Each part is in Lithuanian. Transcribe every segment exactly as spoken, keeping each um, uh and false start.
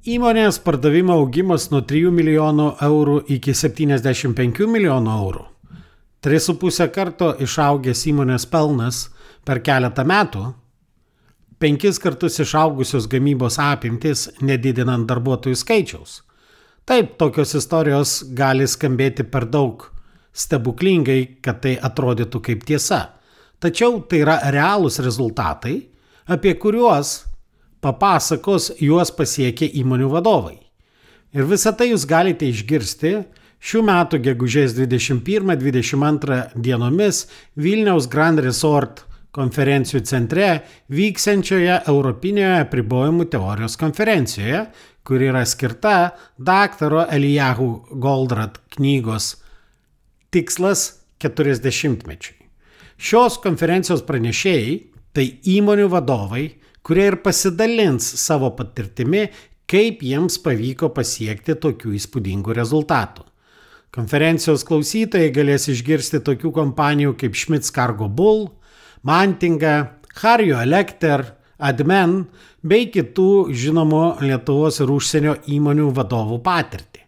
Įmonės pardavimo augimas nuo trijų milijonų eurų iki septyniasdešimt penkių milijonų eurų. tris su puse karto išaugęs įmonės pelnas per keletą metų. Penkis kartus išaugusios gamybos apimtis, nedidinant darbuotojų skaičiaus. Taip, tokios istorijos gali skambėti per daug stebuklingai, kad tai atrodytų kaip tiesa. Tačiau tai yra realūs rezultatai, apie kuriuos papasakos juos pasiekę įmonių vadovai. Ir visą tai jūs galite išgirsti šių metų gegužės dvidešimt pirmą dvidešimt antrą dienomis Vilniaus Grand Resort konferencijų centre vyksiančioje Europinėje apribojimų teorijos konferencijoje, kuri yra skirta daktaro Eliyahu Goldratt knygos Tikslas keturiasdešimtmečiui. Šios konferencijos pranešėjai tai įmonių vadovai, kurie ir pasidalins savo patirtimi, kaip jiems pavyko pasiekti tokių įspūdingų rezultatų. Konferencijos klausytojai galės išgirsti tokių kompanijų kaip Schmitz Cargo Bull, Mantinga, Harjo Electer, Admen bei kitų žinomų Lietuvos ir užsienio įmonių vadovų patirtį.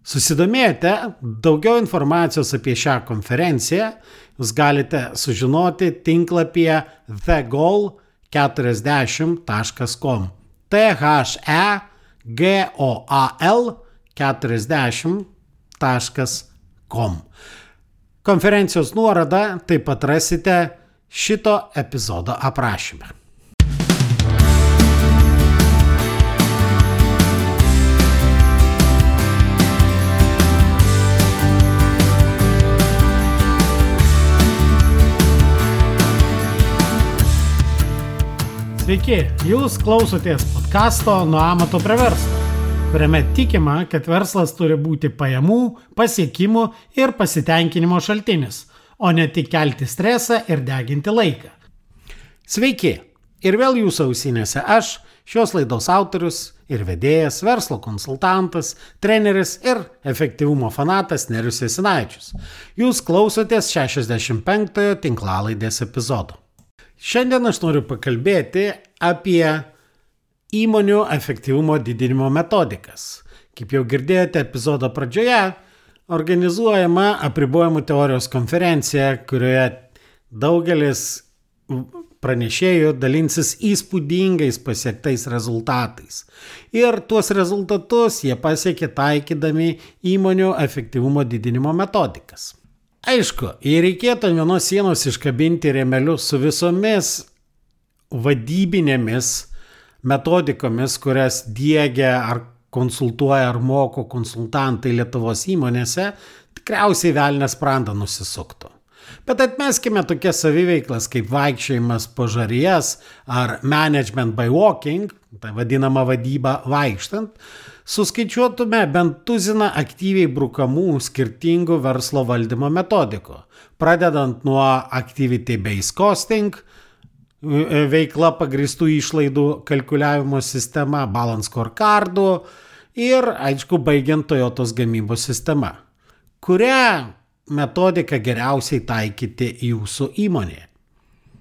Susidomėjote daugiau informacijos apie šią konferenciją, jūs galite sužinoti tinklapyje the goal keturiasdešimt taškas com. T H E G O A L keturiasdešimt taškas com. Konferencijos nuorodą taip pat rasite šito epizodo aprašyme. Sveiki, jūs klausotės podcasto Nuo amato prie verslo, kuriame tikima, kad verslas turi būti pajamų, pasiekimų ir pasitenkinimo šaltinis, o ne tik kelti stresą ir deginti laiką. Sveiki, ir vėl jūsų ausinėse aš, šios laidos autorius ir vedėjas, verslo konsultantas, treneris ir efektyvumo fanatas Nerijus Jasinaičius. Jūs klausotės šešiasdešimt penktojo tinklalaidės epizodo. Šiandien aš noriu pakalbėti apie įmonių efektyvumo didinimo metodikas. Kaip jau girdėjote epizodo pradžioje, organizuojama apribojimų teorijos konferencija, kurioje daugelis pranešėjų dalinsis įspūdingais pasiektais rezultatais. Ir tuos rezultatus jie pasiekė taikydami įmonių efektyvumo didinimo metodikas. Aišku, jei reikėtų ant vienos sienos iškabinti rėmelius su visomis vadybinėmis metodikomis, kurias diegia ar konsultuoja ar moko konsultantai Lietuvos įmonėse, tikriausiai velnias sprandą nusisuktų. Bet atmeskime tokias saviveiklas kaip vaikščiojimas po žarijas ar management by walking, tai vadinama vadyba vaikštant, suskaičiuotume bent tuziną aktyviai brukamų skirtingų verslo valdymo metodikų, pradedant nuo activity-based costing, veikla pagrįstų išlaidų kalkuliavimo sistema, balance scorecardų ir, aišku, baigiant Toyotos gamybos sistema, kurią metodiką geriausiai taikyti jūsų įmonėje.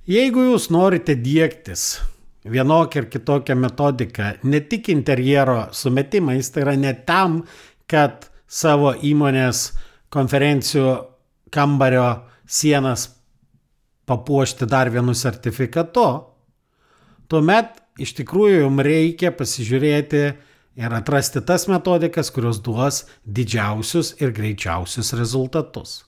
Jeigu jūs norite diegtis vienokią ir kitokią metodiką, ne tik interjero sumetimais, tai yra ne tam, kad savo įmonės konferencijų kambario sienas papuošti dar vienu sertifikatu, tuomet iš tikrųjų jums reikia pasižiūrėti ir atrasti tas metodikas, kurios duos didžiausius ir greičiausius rezultatus.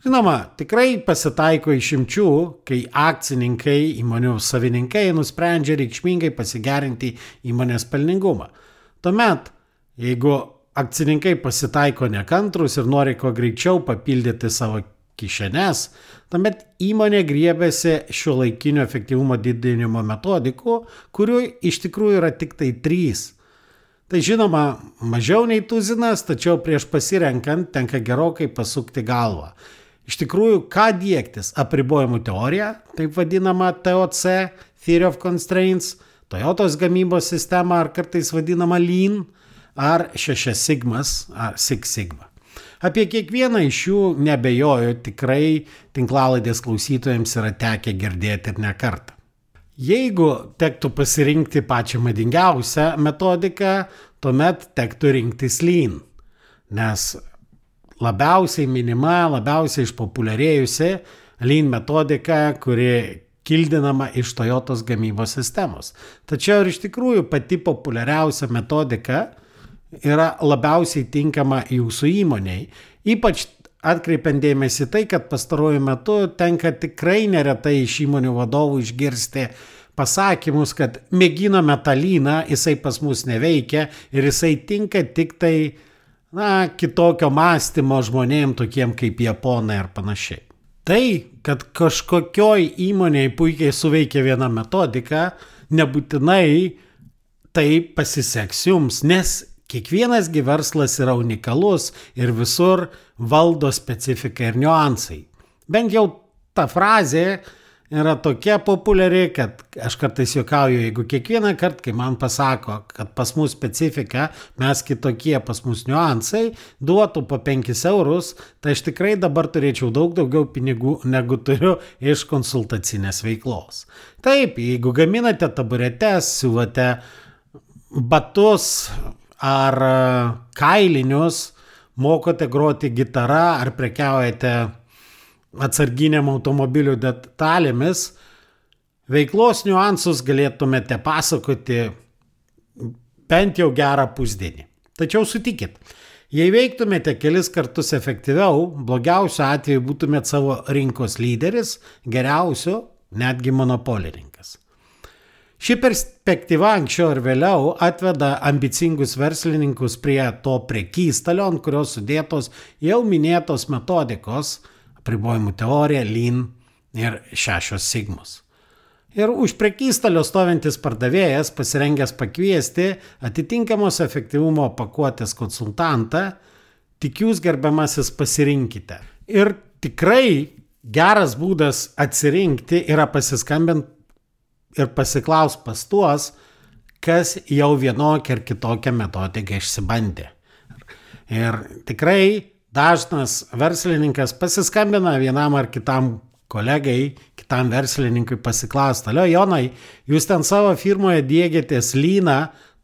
Žinoma, tikrai pasitaiko išimčių, kai akcininkai, įmonių savininkai nusprendžia reikšmingai pasigerinti įmonės pelningumą. Tuomet, jeigu akcininkai pasitaiko nekantrus ir nori kuo greičiau papildyti savo kišenes, tuomet įmonė griebiasi šiuolaikinio efektyvumo didinimo metodikų, kurių iš tikrųjų yra tik tai trys. Tai žinoma, mažiau nei tuzinas, tačiau prieš pasirenkant tenka gerokai pasukti galvą. Iš tikrųjų, ką diegtis? Apribojimų teorija, taip vadinama T O C, Theory of Constraints, Toyotos gamybos sistema, ar kartais vadinama Lean, ar šešias sigmas, ar Six Sigma. Apie kiekvieną iš jų nebejoju, tikrai tinklalaidės klausytojams yra tekę girdėti ir ne kartą. Jeigu tektų pasirinkti pačią madingiausią metodiką, tuomet tektų rinktis Lean, nes labiausiai minima, labiausiai išpopuliarėjusi Lean metodika, kuri kildinama iš Toyotos gamybos sistemos. Tačiau ir iš tikrųjų pati populiariausia metodika yra labiausiai tinkama jūsų įmoniai, ypač atkreipiant dėmesį tai, kad pastaruoju metu tenka tikrai neretai iš įmonių vadovų išgirsti pasakymus, kad mėginome tą Leaną, jisai pas mus neveikia ir jisai tinka tik tai na, kitokio mąstymo žmonėm, tokiem kaip japonai ar panašiai. Tai, kad kažkokioj įmonėje puikiai suveikia viena metodika, nebūtinai tai pasiseks jums, nes kiekvienas gi verslas yra unikalus ir visur valdo specifika ir niuansai. Bent jau ta frazė yra tokia populiari, kad aš kartais juokauju, jeigu kiekvieną kartą, kai man pasako, kad pas mus specifika, mes kitokie, pas mus niuansai, duotų po penkis eurus, tai aš tikrai dabar turėčiau daug daugiau pinigų, negu turiu iš konsultacinės veiklos. Taip, jeigu gaminate taburetes, siūlote batus ar kailinius, mokote groti gitarą ar prekiaujate atsarginiam automobilių detalėmis, veiklos niuansus galėtumėte pasakoti bent jau gerą pusdienį. Tačiau sutikit, jei veiktumėte kelis kartus efektyviau, blogiausiu atveju būtumėte savo rinkos lyderis, geriausiu netgi monopolininkas. Ši perspektyva anksčiau ir vėliau atveda ambicingus verslininkus prie to prekystalio, ant kurios sudėtos jau minėtos metodikos, apribojimų teorija, Lean ir šešios sigmos. Ir už prekystalio stovintis pardavėjas pasirengęs pakviesti atitinkamos efektyvumo pakuotės konsultantą, tik jūs gerbiamasis pasirinkite. Ir tikrai geras būdas atsirinkti yra pasiskambinti ir pasiklaus pas tuos, kas jau vienokią ar kitokią metodiką išsibandė. Ir tikrai dažnas verslininkas pasiskambina vienam ar kitam kolegai, kitam verslininkui pasiklausti, alio Jonai, jūs ten savo firmoje diegiatės Leaną,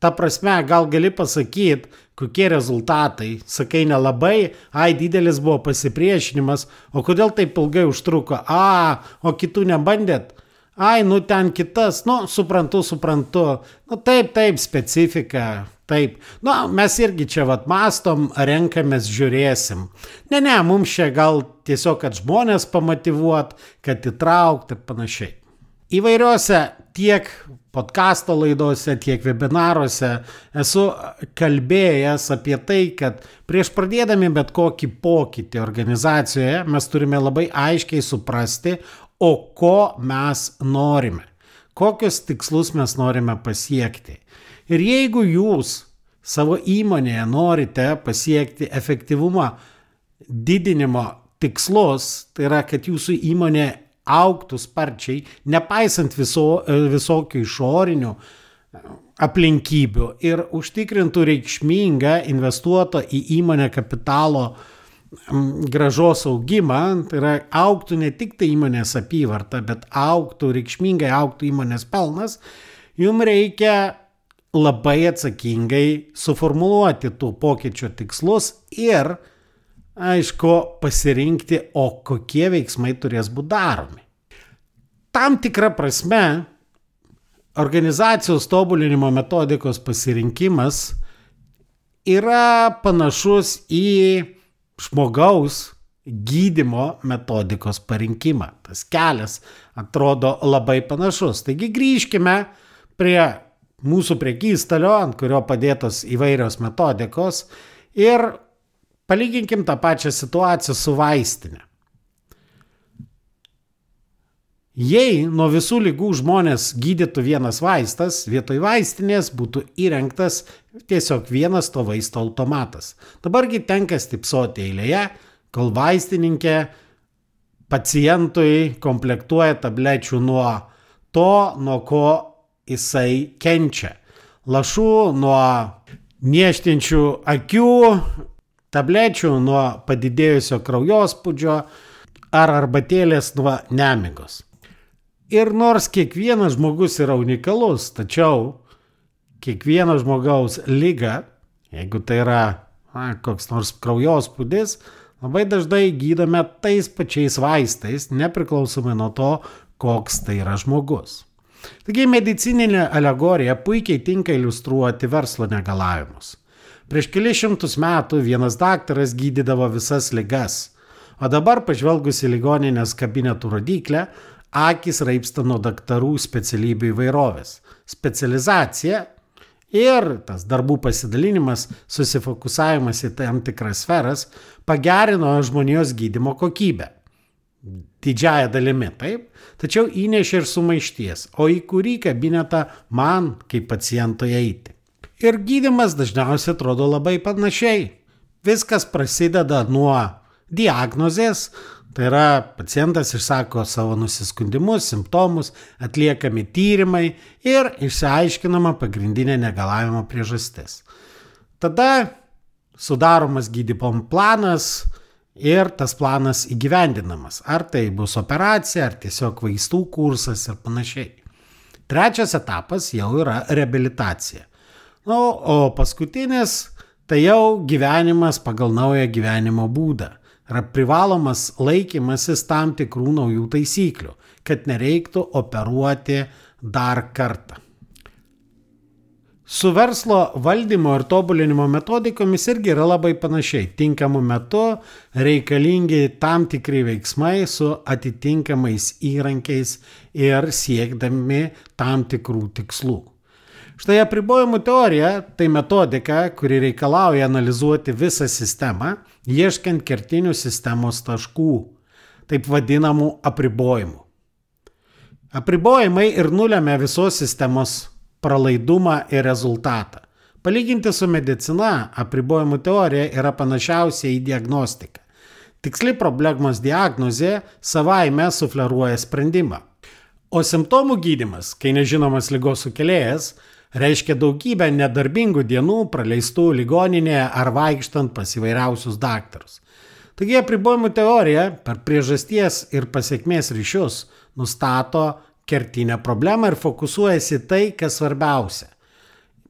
ta prasme, gal gali pasakyti, kokie rezultatai, sakai nelabai, ai didelis buvo pasipriešinimas, o kodėl taip ilgai užtruko, a, o kitų nebandėt, ai, nu ten kitas, nu suprantu, suprantu, nu taip, taip, specifika. Taip, nu, mes irgi čia vat mastom, renkamės, žiūrėsim. Ne, ne, mums čia gal tiesiog, kad žmonės pamotyvuot, kad įtraukt ir panašiai. Įvairiuose tiek podcasto laidose, tiek webinaruose esu kalbėjęs apie tai, kad prieš pradėdami bet kokį pokytį organizacijoje mes turime labai aiškiai suprasti, o ko mes norime, kokius tikslus mes norime pasiekti. Ir jeigu jūs savo įmonėje norite pasiekti efektyvumą didinimo tikslus, tai yra, kad jūsų įmonė augtų sparčiai, nepaisant viso, visokių išorinių aplinkybių ir užtikrintų reikšmingą investuoto į įmonę kapitalo grąžos augimą, tai yra augtų ne tik tai įmonės apyvarta, bet augtų, reikšmingai augtų įmonės pelnas, jums reikia labai atsakingai suformuluoti tų pokyčio tikslus ir, aišku, pasirinkti, o kokie veiksmai turės būti daromi. Tam tikra prasme, organizacijos tobulinimo metodikos pasirinkimas yra panašus į žmogaus gydymo metodikos parinkimą. Tas kelias atrodo labai panašus. Taigi grįžkime prie mūsų prekystalio, ant kurio padėtos įvairios metodikos ir palyginkim tą pačią situaciją su vaistinė. Jei nuo visų ligų žmonės gydytų vienas vaistas, vietoj vaistinės būtų įrengtas tiesiog vienas to vaisto automatas. Dabargi tenka stipsoti eilėje, kol vaistininkė pacientui komplektuoja tablečių nuo to, nuo ko jisai kenčia. Lašų nuo niežtinčių akių, tablečių nuo padidėjusio kraujospūdžio ar arbatėlės nuo nemigos. Ir nors kiekvienas žmogus yra unikalus, tačiau kiekvieno žmogaus liga, jeigu tai yra na, koks nors kraujospūdis, labai dažnai gydome tais pačiais vaistais, nepriklausomai nuo to, koks tai yra žmogus. Taigi medicininė alegorija puikiai tinka iliustruoti verslo negalavimus. Prieš kelis šimtus metų vienas daktaras gydydavo visas ligas, o dabar pažvelgus į ligoninės kabinetų rodyklę, akys raipsta nuo daktarų specialybių įvairovės. Specializacija ir tas darbų pasidalinimas, susifokusavimas į tam tikras sferas pagerino žmonijos gydymo kokybę. Didžiąją dalimi, taip, tačiau įnešė ir sumaišties, o į kurį kabinetą man kaip pacientui eiti. Ir gydymas dažniausiai atrodo labai panašiai. Viskas prasideda nuo diagnozės, tai yra pacientas išsako savo nusiskundimus, simptomus, atliekami tyrimai ir išsiaiškinama pagrindinė negalavimo priežastis. Tada sudaromas gydymo planas ir tas planas įgyvendinamas. Ar tai bus operacija, ar tiesiog vaistų kursas ir panašiai. Trečias etapas jau yra reabilitacija. Nu, o paskutinis tai jau gyvenimas pagal naują gyvenimo būdą. Yra privalomas laikymasis tam tikrų naujų taisyklių, kad nereiktų operuoti dar kartą. Su verslo valdymo ir tobulinimo metodikomis irgi yra labai panašiai. Tinkamu metu reikalingi tam tikri veiksmai su atitinkamais įrankiais ir siekdami tam tikrų tikslų. Štai apribojimų teorija tai metodika, kuri reikalauja analizuoti visą sistemą, ieškant kertinių sistemos taškų, taip vadinamų apribojimų. Apribojimai ir nulemia visos sistemos pralaidumą ir rezultatą. Palyginti su medicina, apribojimų teorija yra panašiausia į diagnostiką. Tiksli problemos diagnozė savaime sufleruoja sprendimą. O simptomų gydymas, kai nežinomas ligos sukėlėjas, reiškia daugybę nedarbingų dienų praleistų ligoninėje ar vaikštant pas įvairiausius daktarus. Taigi apribojimų teorija per priežasties ir pasekmės ryšius nustato kertinę problemą ir fokusuojasi tai, kas svarbiausia.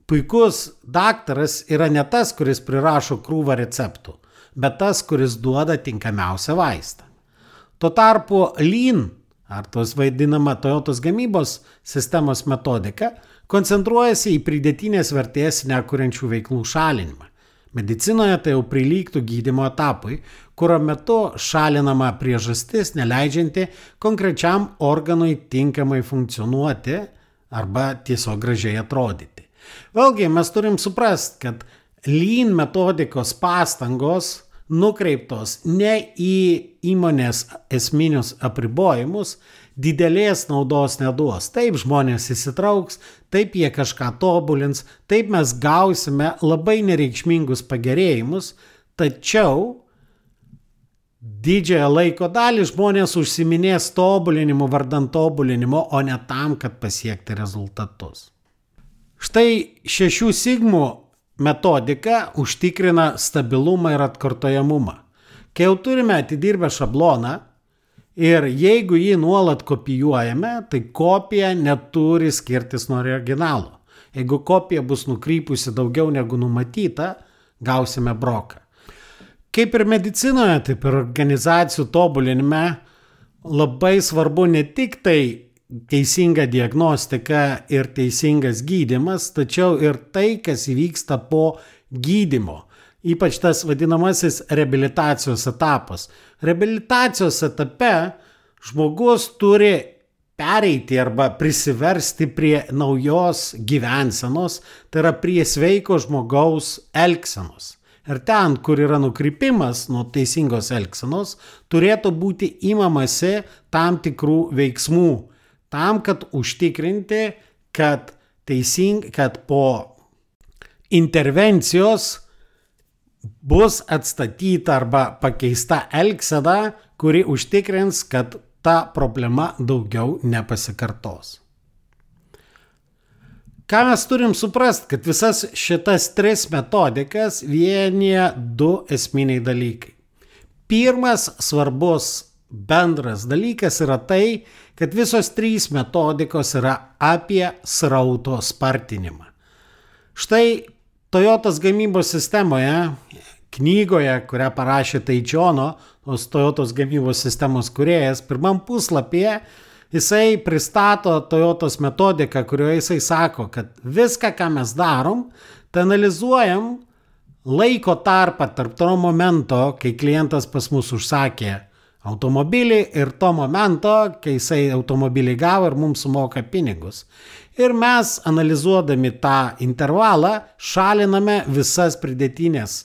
Puikus daktaras yra ne tas, kuris prirašo krūvą receptų, bet tas, kuris duoda tinkamiausią vaistą. Tuo tarpu Lean, ar tos vaidinama Toyotos gamybos sistemos metodika, koncentruojasi į pridėtinės vertės nekuriančių veiklų šalinimą. Medicinoje tai jau prilygtų gydymo etapui, kurio metu šalinama priežastis neleidžianti konkrečiam organui tinkamai funkcionuoti arba tiesiog gražiai atrodyti. Vėlgi mes turim suprasti, kad Lean metodikos pastangos nukreiptos ne į įmonės esminius apribojimus, didelės naudos neduos. Taip žmonės įsitrauks, taip jie kažką tobulins, taip mes gausime labai nereikšmingus pagerėjimus, tačiau didžiąją laiko dalį žmonės užsiminės tobulinimu vardan tobulinimo, o ne tam, kad pasiekti rezultatus. Štai šešių sigmų metodika užtikrina stabilumą ir atkartojamumą. Kai jau turime atidirbę šabloną ir jeigu jį nuolat kopijuojame, tai kopija neturi skirtis nuo originalo. Jeigu kopija bus nukrypusi daugiau negu numatyta, gausime broką. Kaip ir medicinoje, taip ir organizacijų tobulinime labai svarbu ne tik tai teisinga diagnostika ir teisingas gydymas, tačiau ir tai, kas įvyksta po gydymo. Ypač tas vadinamasis reabilitacijos etapas. Reabilitacijos etape žmogus turi pereiti arba prisiversti prie naujos gyvensenos, tai yra prie sveiko žmogaus elgsenos. Ir ten, kur yra nukrypimas nuo teisingos elgsenos, turėtų būti imamasi tam tikrų veiksmų, tam, kad užtikrinti, kad, teising, kad po intervencijos bus atstatyta arba pakeista elgsena, kuri užtikrins, kad ta problema daugiau nepasikartos. Ką mes turim suprasti, kad visas šitas tris metodikas vienyje du esminiai dalykai. Pirmas svarbus bendras dalykas yra tai, kad visos trys metodikos yra apie srauto spartinimą. Štai Toyotos gamybos sistemoje, knygoje, kurią parašė Taičiono, tos Toyotos gamybos sistemos kūrėjas, pirmam puslapyje jisai pristato Toyotos metodiką, kurioje jisai sako, kad viską, ką mes darom, tai analizuojam laiko tarpą tarp to momento, kai klientas pas mus užsakė automobilį ir to momento, kai jisai automobilį gavo ir mums sumoka pinigus. Ir mes, analizuodami tą intervalą, šaliname visas pridėtinės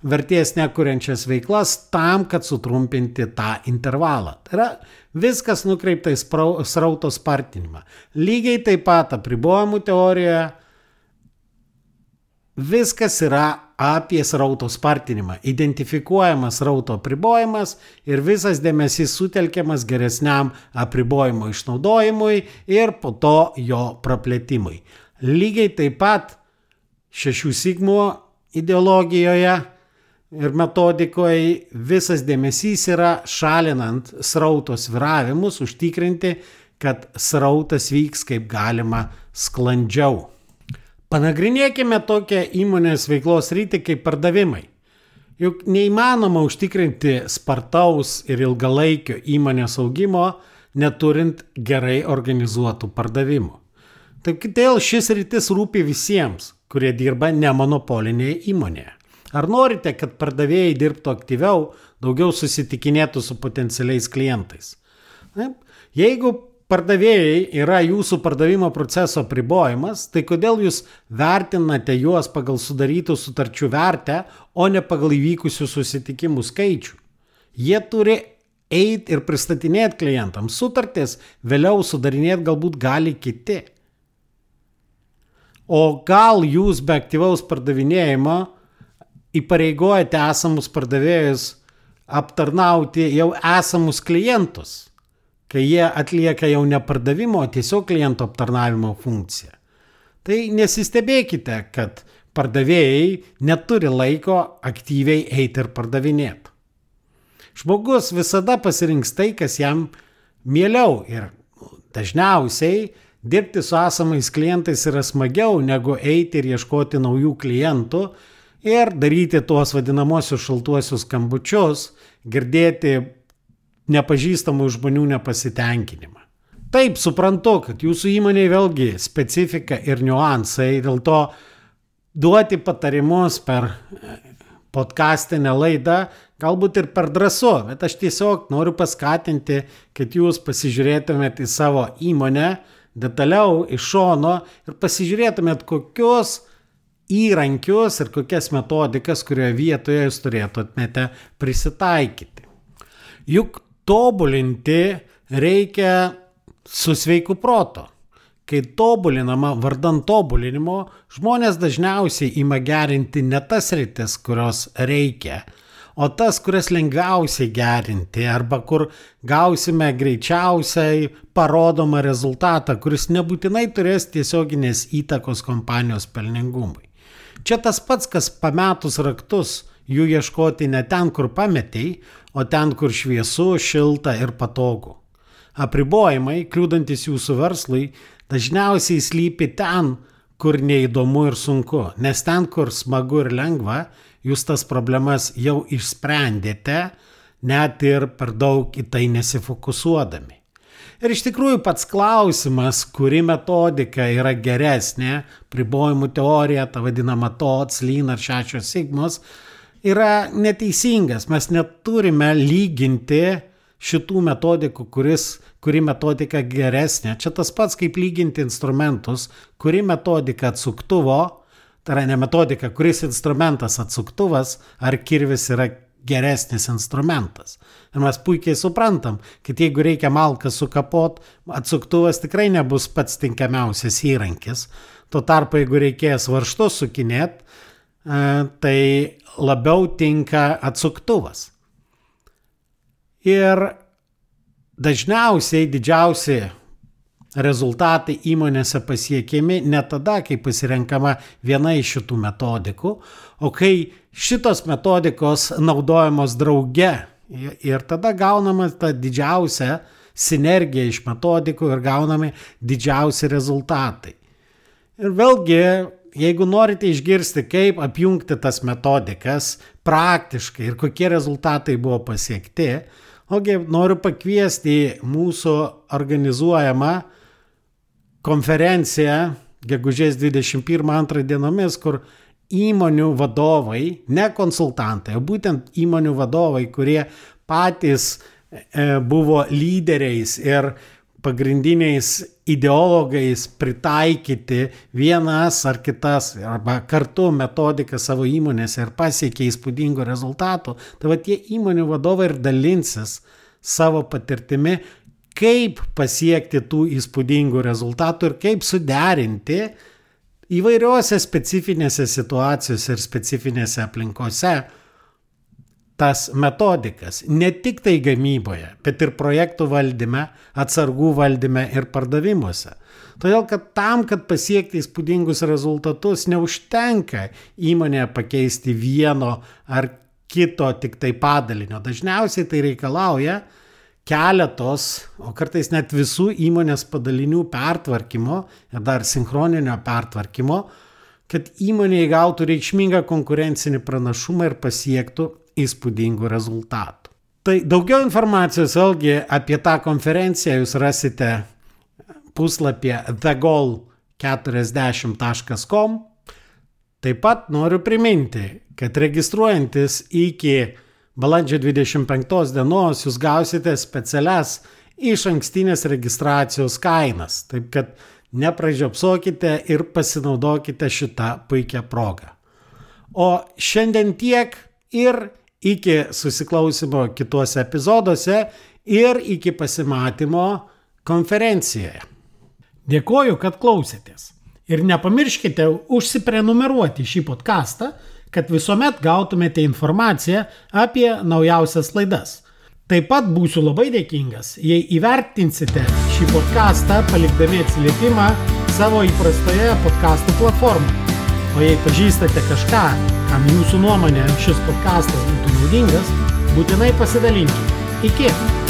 vertės nekuriančias veiklas tam, kad sutrumpinti tą intervalą. Tai yra viskas nukreipta į srauto spartinimą. Lygiai taip pat apribojimų teorijoje viskas yra apie srauto spartinimą. Identifikuojamas srauto apribojimas ir visas dėmesys sutelkiamas geresniam apribojimo išnaudojimui ir po to jo praplėtimui. Lygiai taip pat šešių sigmų ideologijoje ir metodikoje visas dėmesys yra šalinant srauto sviravimus, užtikrinti, kad srautas vyks kaip galima sklandžiau. Panagrinėkime tokią įmonės veiklos rytį kaip pardavimai. Juk neįmanoma užtikrinti spartaus ir ilgalaikio įmonės augimo, neturint gerai organizuotų pardavimų. Taip kodėl šis rytis rūpi visiems, kurie dirba nemonopolinėje įmonėje. Ar norite, kad pardavėjai dirbtų aktyviau, daugiau susitikinėtų su potencialiais klientais? Jeigu pardavėjai yra jūsų pardavimo proceso apribojimas, tai kodėl jūs vertinate juos pagal sudarytų sutarčių vertę, o ne pagal įvykusių susitikimų skaičių? Jie turi eiti ir pristatinėti klientams sutartis, vėliau sudarinėti galbūt gali kiti. O gal jūs be aktyvaus pardavinėjimo įpareigojate esamus pardavėjus aptarnauti jau esamus klientus, kai jie atlieka jau ne pardavimo, o tiesiog kliento aptarnavimo funkciją. Tai nesistebėkite, kad pardavėjai neturi laiko aktyviai eiti ir pardavinėti. Žmogus visada pasirinks tai, kas jam mieliau ir dažniausiai dirbti su esamais klientais yra smagiau negu eiti ir ieškoti naujų klientų ir daryti tuos vadinamosius šaltuosius skambučius, girdėti nepažįstamų žmonių nepasitenkinimą. Taip, suprantu, kad jūsų įmonėje vėlgi specifika ir niuansai, dėl to duoti patarimus per podcastinę laidą galbūt ir per drąsu, bet aš tiesiog noriu paskatinti, kad jūs pasižiūrėtumėt į savo įmonę detaliau iš šono ir pasižiūrėtumėt kokius įrankius ir kokias metodikas, kurioje vietoje jūs turėtumėte prisitaikyti. Juk tobulinti reikia su sveiku protu. Kai tobulinama vardan tobulinimo, žmonės dažniausiai ima gerinti ne tas sritis, kurios reikia, o tas, kurias lengviausiai gerinti arba kur gausime greičiausiai parodomą rezultatą, kuris nebūtinai turės tiesioginės įtakos kompanijos pelningumui. Čia tas pats, kas pametus raktus, jų ieškoti ne ten, kur pametei, o ten, kur šviesu, šilta ir patogu. Apribojimai, kliūdantis jūsų verslui, dažniausiai slypi ten, kur neįdomu ir sunku, nes ten, kur smagu ir lengva, jūs tas problemas jau išsprendėte, net ir per daug į tai nesifokusuodami. Ir iš tikrųjų pats klausimas, kuri metodika yra geresnė, apribojimų teorija, ta vadinama T O T S, Lean ar šešios sigmos, yra neteisingas. Mes neturime lyginti šitų metodikų, kuris, kuri metodika geresnė. Čia tas pats kaip lyginti instrumentus, kuri metodika atsuktuvo, tai yra ne metodika, kuris instrumentas atsuktuvas ar kirvis yra geresnis instrumentas. Ir mes puikiai suprantam, kad jeigu reikia malką sukapot, atsuktuvas tikrai nebus pats tinkamiausias įrankis. Tuo tarpu, jeigu reikės varžtus sukinėt, tai labiau tinka atsuktuvas. Ir dažniausiai didžiausi rezultatai įmonėse pasiekiami ne tada, kai pasirenkama viena iš šitų metodikų, o kai šitos metodikos naudojamos drauge Ir tada gaunama ta didžiausia sinergija iš metodikų ir gaunami didžiausi rezultatai. Ir vėlgi, jeigu norite išgirsti, kaip apjungti tas metodikas praktiškai ir kokie rezultatai buvo pasiekti, ogi noriu pakviesti į mūsų organizuojamą konferenciją gegužės dvidešimt pirmą antrą dienomis, kur įmonių vadovai, ne konsultantai, o būtent įmonių vadovai, kurie patys e, buvo lyderiais ir pagrindiniais ideologais pritaikyti vienas ar kitas arba kartu metodiką savo įmonėse ir pasiekė įspūdingų rezultatų, tai va tie įmonių vadovai ir dalinsis savo patirtimi, kaip pasiekti tų įspūdingų rezultatų ir kaip suderinti įvairiuose specifinėse situacijose ir specifinėse aplinkose tas metodikas, ne tik tai gamyboje, bet ir projektų valdyme, atsargų valdyme ir pardavimuose. Todėl, kad tam, kad pasiekti įspūdingus rezultatus, neužtenka įmonėje pakeisti vieno ar kito tik tai padalinio. Dažniausiai tai reikalauja keletos, o kartais net visų įmonės padalinių pertvarkymo ir dar sinchroninio pertvarkymo, kad įmonė įgautų reikšmingą konkurencinį pranašumą ir pasiektų įspūdingų rezultatų. Tai daugiau informacijos vėlgi apie tą konferenciją jūs rasite puslapyje the goal keturiasdešimt taškas com. Taip pat noriu priminti, kad registruojantis iki balandžio dvidešimt penktos dienos jūs gausite specialias išankstinės registracijos kainas. Taip kad nepražiopsokite ir pasinaudokite šitą puikią progą. O šiandien tiek ir iki susiklausimo kituose epizoduose ir iki pasimatymo konferencijoje. Dėkoju, kad klausėtės. Ir nepamirškite užsiprenumeruoti šį podcastą, kad visuomet gautumėte informaciją apie naujausias laidas. Taip pat būsiu labai dėkingas, jei įvertinsite šį podcastą palikdami atsiliepimą savo įprastoje podcastų platformoje. O jei pažįstate kažką, kam jūsų nuomonė šis podcastas būtų naudingas, būtinai pasidalinkite. Iki!